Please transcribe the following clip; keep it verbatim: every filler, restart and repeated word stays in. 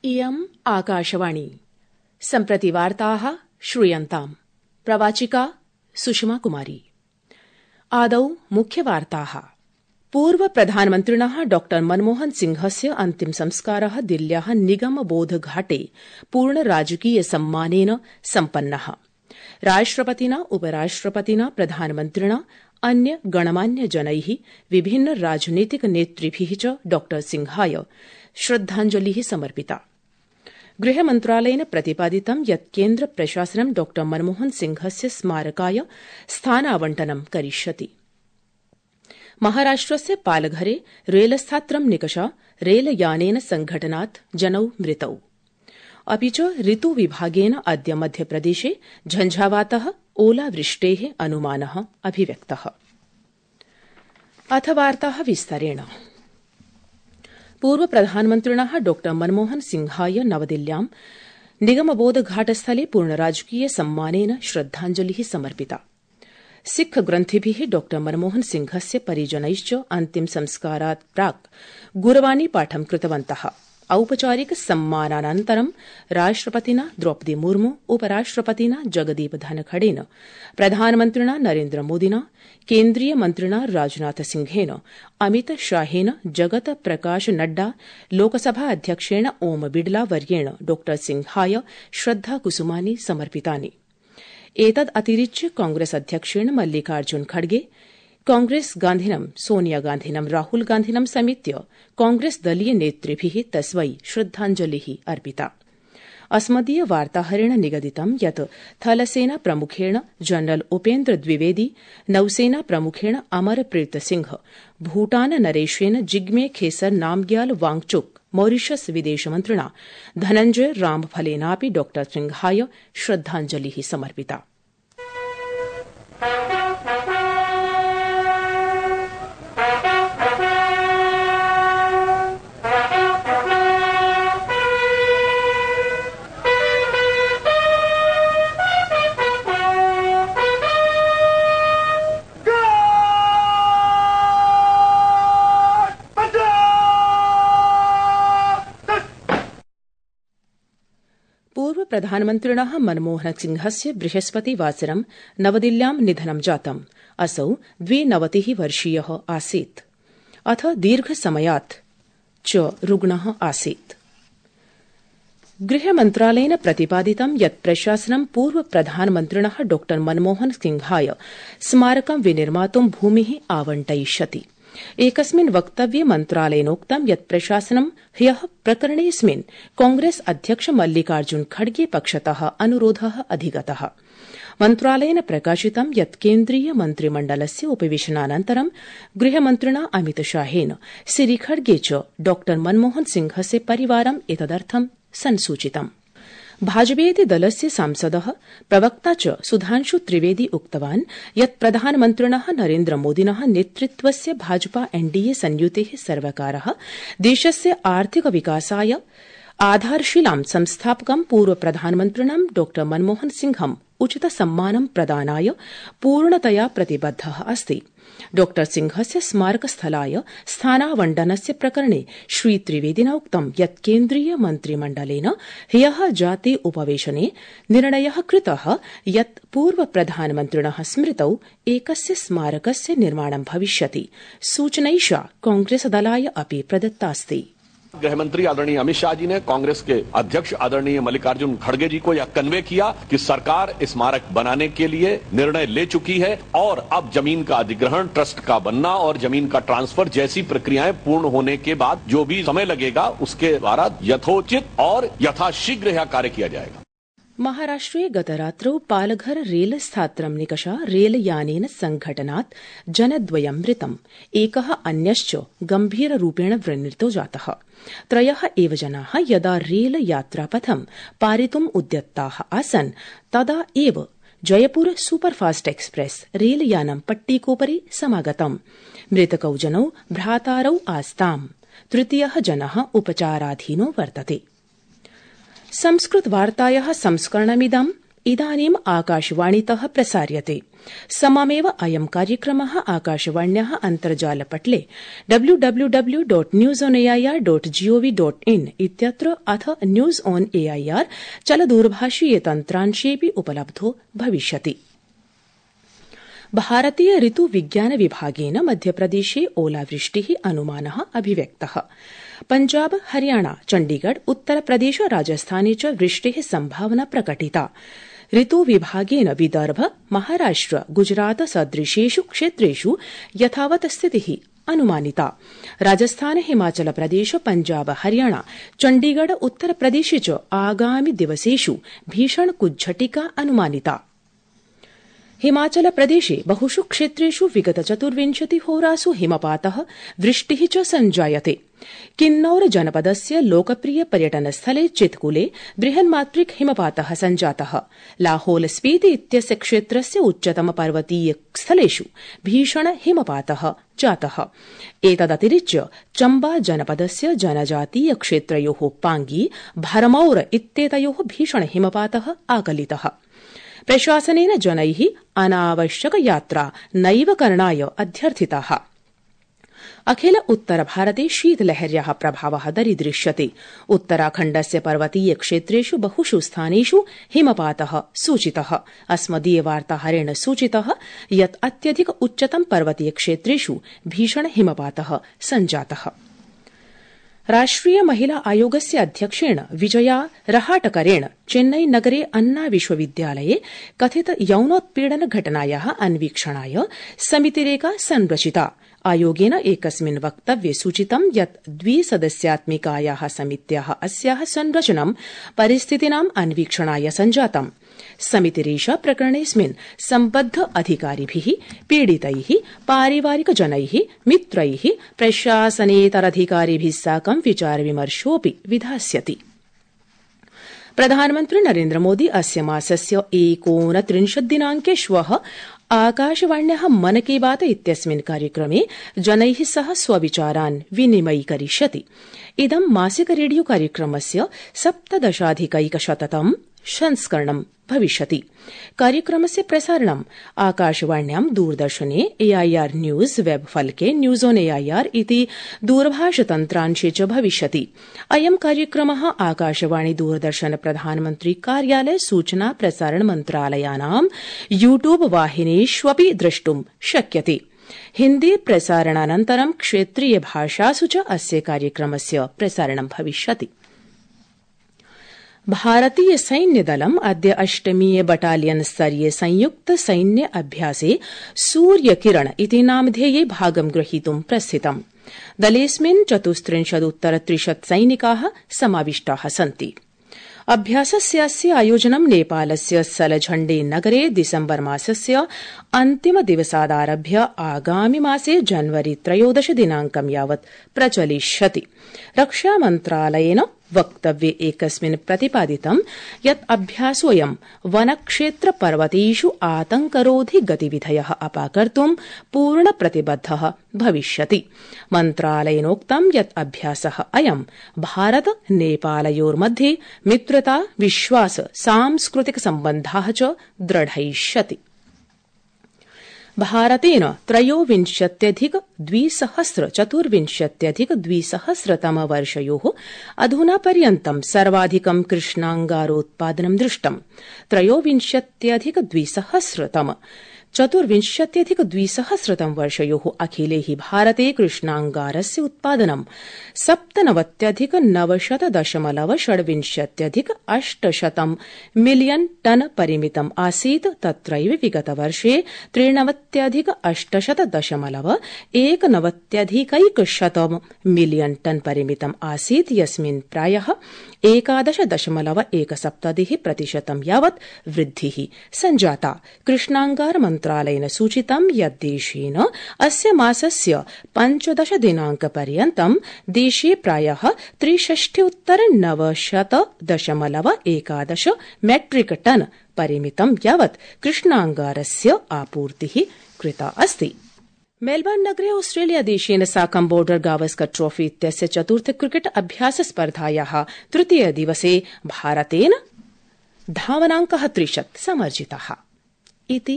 इयम् आकाशवाणी सम्प्रति वार्ताः श्रूयन्ताम् प्रवाचिका सुषमा कुमारी। आदौ मुख्यवार्ताः। पूर्व प्रधानमन्त्रिणः डॉ मनमोहन सिंहस्य अन्तिम संस्कारः दिल्ल्याः निगमबोध घाटे पूर्ण राजकीय सम्मानेन सम्पन्नः। राष्ट्रपतिना उपराष्ट्रपतिना प्रधानमन्त्रिणा अन्य गणमान्य जनैः विभिन्न राजनीतिक नेतृभिः च डॉ सिंहाय श्रद्धाञ्जलिः समर्पिता। गृहमन्त्रालयेन प्रतिपादितं यत् केन्द्र प्रशासनं डॉ मनमोहन सिंहस्य स्मारकाय स्थानावण्टनं करिष्यति। महाराष्ट्रस्य पालघरे रेलस्थात्रं निकषा रेलयानेन संघटनात् जनौ मृतौ। अपि च ऋतुविभागेन अद्य मध्यप्रदेशे झंझावातः ओलावृष्टेः अनुमानः अभिव्यक्तः। अथ वार्ताः विस्तरेण। पूर्व प्रधानमन्त्रिणः डॉ मनमोहन सिंहाय नवदिल्ल्यां निगमबोध घाटस्थले पूर्ण राजकीय सम्मानेन श्रद्धाञ्जलिः समर्पिता। सिख ग्रन्थिभिः डॉ मनमोहन सिंहस्य परिजनैश्च अन्तिम संस्कारात् प्राक् गुरवाणी पाठं कृतवन्तः। औपचारिक सम्मानानन्तरं राष्ट्रपतिना द्रौपदी मुर्मू, उपराष्ट्रपतिना जगदीप धनखडेन, प्रधानमन्त्रिणा नरेन्द्र मोदिना, केन्द्रीय मन्त्रिणा राजनाथ सिंहेन, अमित शाहेन, जगत प्रकाश नड्डा, लोकसभा अध्यक्षेण ओम बिड़ला वर्येण डॉ सिंहाय श्रद्धाकुसुमानि समर्पितानि। एतदतिरिच्य कांग्रेस अध्यक्षेण मल्लिकार्जुन खड़गे, कांग्रेस गान्धिनं सोनिया गान्धिनं राहुल गान्धिनं समेत्य कांग्रेस दलीय नेतृभिः तस्मै श्रद्धाञ्जलिः अर्पिता। अस्मदीय वार्ताहरेण निगदितं यत् थलसेना प्रमुखेण जनरल उपेन्द्र द्विवेदी, नौसेना प्रमुखेण अमरप्रीत सिंह, भूटान नरेशेन जिग्मे खेसर नामग्याल वांगचुक, मॉरिशस विदेशमन्त्रिणा धनञ्जय रामफलेनापि डॉ सिंहाय श्रद्धाञ्जलिः समर्पिता। पूर्व प्रधानमन्त्रिणः मनमोहन सिंहस्य बृहस्पतिवासरं नवदिल्ल्यां निधनं जातम्। असौ द्विनवतिः वर्षीयः आसीत्। अथ दीर्घसमयात् च रुग्णः आसीत्। गृहमन्त्रालयेन प्रतिपादितं यत् प्रशासनं पूर्व प्रधानमन्त्रिणः डॉ मनमोहन सिंहाय स्मारकं विनिर्मातुं भूमिः आवंटयिष्यति। एकस्मिन् वक्तव्ये मन्त्रालयेनोक्तं यत् प्रशासनं ह्यः प्रकरणेऽस्मिन् कांग्रेस अध्यक्ष मल्लिकार्जुन खड़गे पक्षतः अनुरोधः अधिगतः। मन्त्रालयेन प्रकाशितं यत् केन्द्रीय मन्त्रिमण्डलस्य उपवेशनानन्तरं गृहमन्त्रिणा अमित शाहेन श्री खड़गे च डॉ मनमोहन सिंहस्य परिवारम् एतदर्थं संसूचितम्। भाजपेति दलस्य सांसदः प्रवक्ता च सुधांशु त्रिवेदी उक्तवान् यत् प्रधानमन्त्रिणः नरेन्द्र मोदिनः नेतृत्वस्य भाजपा एनडीए संयुतेः सर्वकारः देशस्य आर्थिक विकासाय आधारशिलां संस्थापकं पूर्व प्रधानमन्त्रिणं डॉ मनमोहन सिंहम् उचित सम्मानं प्रदानाय पूर्णतया प्रतिबद्धः अस्ति। डॉ सिंहस्य स्मारकस्थलाय स्थानावण्टनस्य प्रकरणे श्री त्रिवेदिना उक्तं यत् केन्द्रीय मन्त्रिमण्डलेन ह्यः जाते उपवेशने निर्णयः कृतः यत् पूर्व प्रधानमन्त्रिणः स्मृतौ एकस्य स्मारकस्य निर्माणं भविष्यति। सूचनैषा कांग्रेस दलाय अपि प्रदत्तास्ति। गृहमंत्री आदरणीय अमित शाह जी ने कांग्रेस के अध्यक्ष आदरणीय मल्लिकार्जुन खड़गे जी को यह कन्वे किया कि सरकार स्मारक बनाने के लिए निर्णय ले चुकी है और अब जमीन का अधिग्रहण, ट्रस्ट का बनना और जमीन का ट्रांसफर जैसी प्रक्रियाएं पूर्ण होने के बाद जो भी समय लगेगा उसके द्वारा यथोचित और यथाशीघ्र यह कार्य किया जाएगा। महाराष्ट्रे गतरात्रौ पालघर रेलस्थात्रं निकषा रेलयानेन संघटनात् जनद्वयं मृतम्। एकः अन्यश्च गम्भीररूपेण व्रणितो जातः। त्रयः एव जनाः यदा रेलयात्रापथं पारितुम् उद्यत्ताः आसन् तदा एव जयपुर सुपरफास्ट एक्सप्रेस रेलयानं पट्टिकोपरि समागतम्। मृतकौ जनौ भ्रातारौ आस्ताम्। तृतीयः जनः उपचाराधीनो वर्तते। संस्कृतवार्तायाः संस्करणमिदं इदानीम् आकाशवाणीतः प्रसार्यते। सममेव अयं कार्यक्रमः आकाशवाण्याः अन्तर्जालपटले W W W dot news on A I R dot G O V dot in इत्यत्र अथ न्यूज ऑन एआईआर चलदूरभाषीय तन्त्रांशेऽपि उपलब्धो भविष्यति। भारतीय ऋतु विज्ञान विभागेन मध्यप्रदेशे ओलावृष्टिः अनुमानः अभिव्यक्तः। पंजाब, हरियाणा, चण्डीगढ़, उत्तरप्रदेश, राजस्थाने च वृष्टेः संभावना प्रकटिता। ऋतु विभागेन विदर्भ, महाराष्ट्र, गुजरात सदृशेषु क्षेत्रेषु यथावत् स्थितिः अनुमानिता। राजस्थान, हिमाचल प्रदेश, पंजाब, हरियाणा, चण्डीगढ़, उत्तरप्रदेशे च आगामि दिवसेषु भीषण कुज्झटिका अनुमानिता। हिमाचल प्रदेशे बहुषु क्षेत्रेषु विगत चतुर्विंशति होरासु हिमपातः, वृष्टिः च सञ्जायते। किन्नौर जनपदस्य लोकप्रिय पर्यटनस्थले चितकुले बृहन्मात्रिक हिमपातः सञ्जातः। लाहौल स्पीति इत्यस्य क्षेत्रस्य उच्चतम पर्वतीय स्थलेषु भीषण हिमपातः जातः। एतदतिरिच्य चम्बा जनपदस्य जनजातीय क्षेत्रयोः पांगी, भरमौर इत्येतयोः भीषण हिमपातः आकलितः। प्रशासनेन जनैः अनावश्यक यात्रा नैव करणाय अध्यर्थिताः। अखिल उत्तर भारते शीतलहर्याः प्रभावः दरीदृश्यते। उत्तराखण्डस्य पर्वतीय क्षेत्रेषु बहुषु स्थानेषु हिमपातः सूचितः। अस्मदीय वार्ताहरेण सूचितः यत् अत्यधिक उच्चतम पर्वतीय क्षेत्रेषु भीषण हिमपातः सञ्जातः। राष्ट्रिय महिला आयोगस्य अध्यक्षेण विजया रहाटकरेण चेन्नई नगरे अन्ना विश्वविद्यालये कथित यौनोत्पीडन घटनायाः अन्वीक्षणाय समितिरेका संरचिता। आयोगेन एकस्मिन् वक्तव्ये सूचितं यत् द्विसदस्यात्मिकायाः समित्याः अस्याः संरचनं परिस्थितीनाम् अन्वीक्षणाय सञ्जातम्। समितिरेषा प्रकरणेऽस्मिन् सम्बद्ध अधिकारिभिः, पीडितैः, पारिवारिकजनैः, मित्रैः, प्रशासनेतराधिकारिभिः साकं विचारविमर्शोऽपि विधास्यति। प्रधानमन्त्री नरेन्द्र मोदी अस्य मासस्य एकोनत्रिंशत् दिनाङ्के श्वः आकाशवाण्याः मन की बात इत्यस्मिन् कार्यक्रमे जनैः सह स्वविचारान् विनिमयीकरिष्यति। इदं मासिक रेडियो कार्यक्रमस्य सप्तदशाधिकैकशततम् संस्करणं भविष्यति। कार्यक्रमस्य प्रसारणं आकाशवाण्यां, दूरदर्शने, एआईआर न्यूज वेब फलके, न्यूज ऑन एआईआर इति दूरभाषतन्त्रांशे च भविष्यति। अयं कार्यक्रमः आकाशवाणी, दूरदर्शन, प्रधानमन्त्री कार्यालय, सूचना प्रसारण मन्त्रालयानां यूट्यूब वाहिनीष्वपि द्रष्टुं शक्यते। हिन्दी प्रसारणानन्तरं क्षेत्रीय भाषासु च अस्य कार्यक्रमस्य प्रसारणं भविष्यति। भारतीय सैन्यदलम् अद्य अष्टमीय बटालियन स्तरीय संयुक्त सैन्य अभ्यासे सूर्यकिरण इति नामधेये भागं ग्रहीतुं प्रस्थितम्। दलेऽस्मिन् चतुस्त्रिंशदुत्तर त्रिशत् सैनिकाः समाविष्टाः सन्ति। अभ्यासस्यास्य आयोजनं नेपालस्य सलझण्डे नगरे दिसम्बर मासस्य अन्तिम दिवसादारभ्य आगामि मासे जनवरी त्रयोदश दिनाङ्कं यावत् प्रचलिष्यति। रक्षामन्त्रालयेन वक्तव्ये एकस्मिन् प्रतिपादितं यत् अभ्यासोऽयं वनक्षेत्र पर्वतेषु आतंकरोधि गतिविधयः अपाकर्तुं पूर्णप्रतिबद्धः भविष्यति। मन्त्रालयेनोक्तं यत् अभ्यासः अयं भारत नेपालयोर्मध्ये मित्रता, विश्वास, सांस्कृतिक सम्बन्धाः च दृढयिष्यति। भारतेन त्रयोविंशत्यधिक द्विसहस्र चतुर्विंशत्यधिक द्विसहस्रतम वर्षयोः अधुना पर्यन्तं सर्वाधिकं कृष्णाङ्गारोत्पादनं दृष्टम्। त्रयोविंशत्यधिक द्विसहस्रतम चतुर्विंशत्यधिक द्विसहस्रतम वर्षयोः अखिले हि भारते कृष्णाङ्गारस्य उत्पादनं सप्तनवत्यधिक नवशत दशमलव षड्विंशत्यधिक अष्टशतं मिलियन टन परिमितम् आसीत्। तत्रैव विगतवर्षे त्रिनवत्यधिक अष्टशत दशमलव एकनवत्यधिकैकशतं मिलियन टन परिमितम् आसीत्, यस्मिन् प्रायः एकादश दशमलव एकसप्ततिः प्रतिशतं यावत् वृद्धिः सञ्जाता। कृष्णाङ्गार मन्त्रालयेन सूचितं यत् देशेन अस्य मासस्य पञ्चदश दिनाङ्कपर्यन्तं देशे प्रायः त्रिषष्ट्युत्तर नवशत दशमलव एकादश मेट्रिक टन परिमितं यावत् कृष्णाङ्गारस्य आपूर्तिः कृता अस्ति। मेलबर्न नगरे ऑस्ट्रेलिया देशेन साकं बॉर्डर गावस्कर ट्रॉफी इत्यस्य चतुर्थ क्रिकेट अभ्यास स्पर्धायाः तृतीय दिवसे भारतेन धावनाङ्क त्रिशत् समर्जिता इति।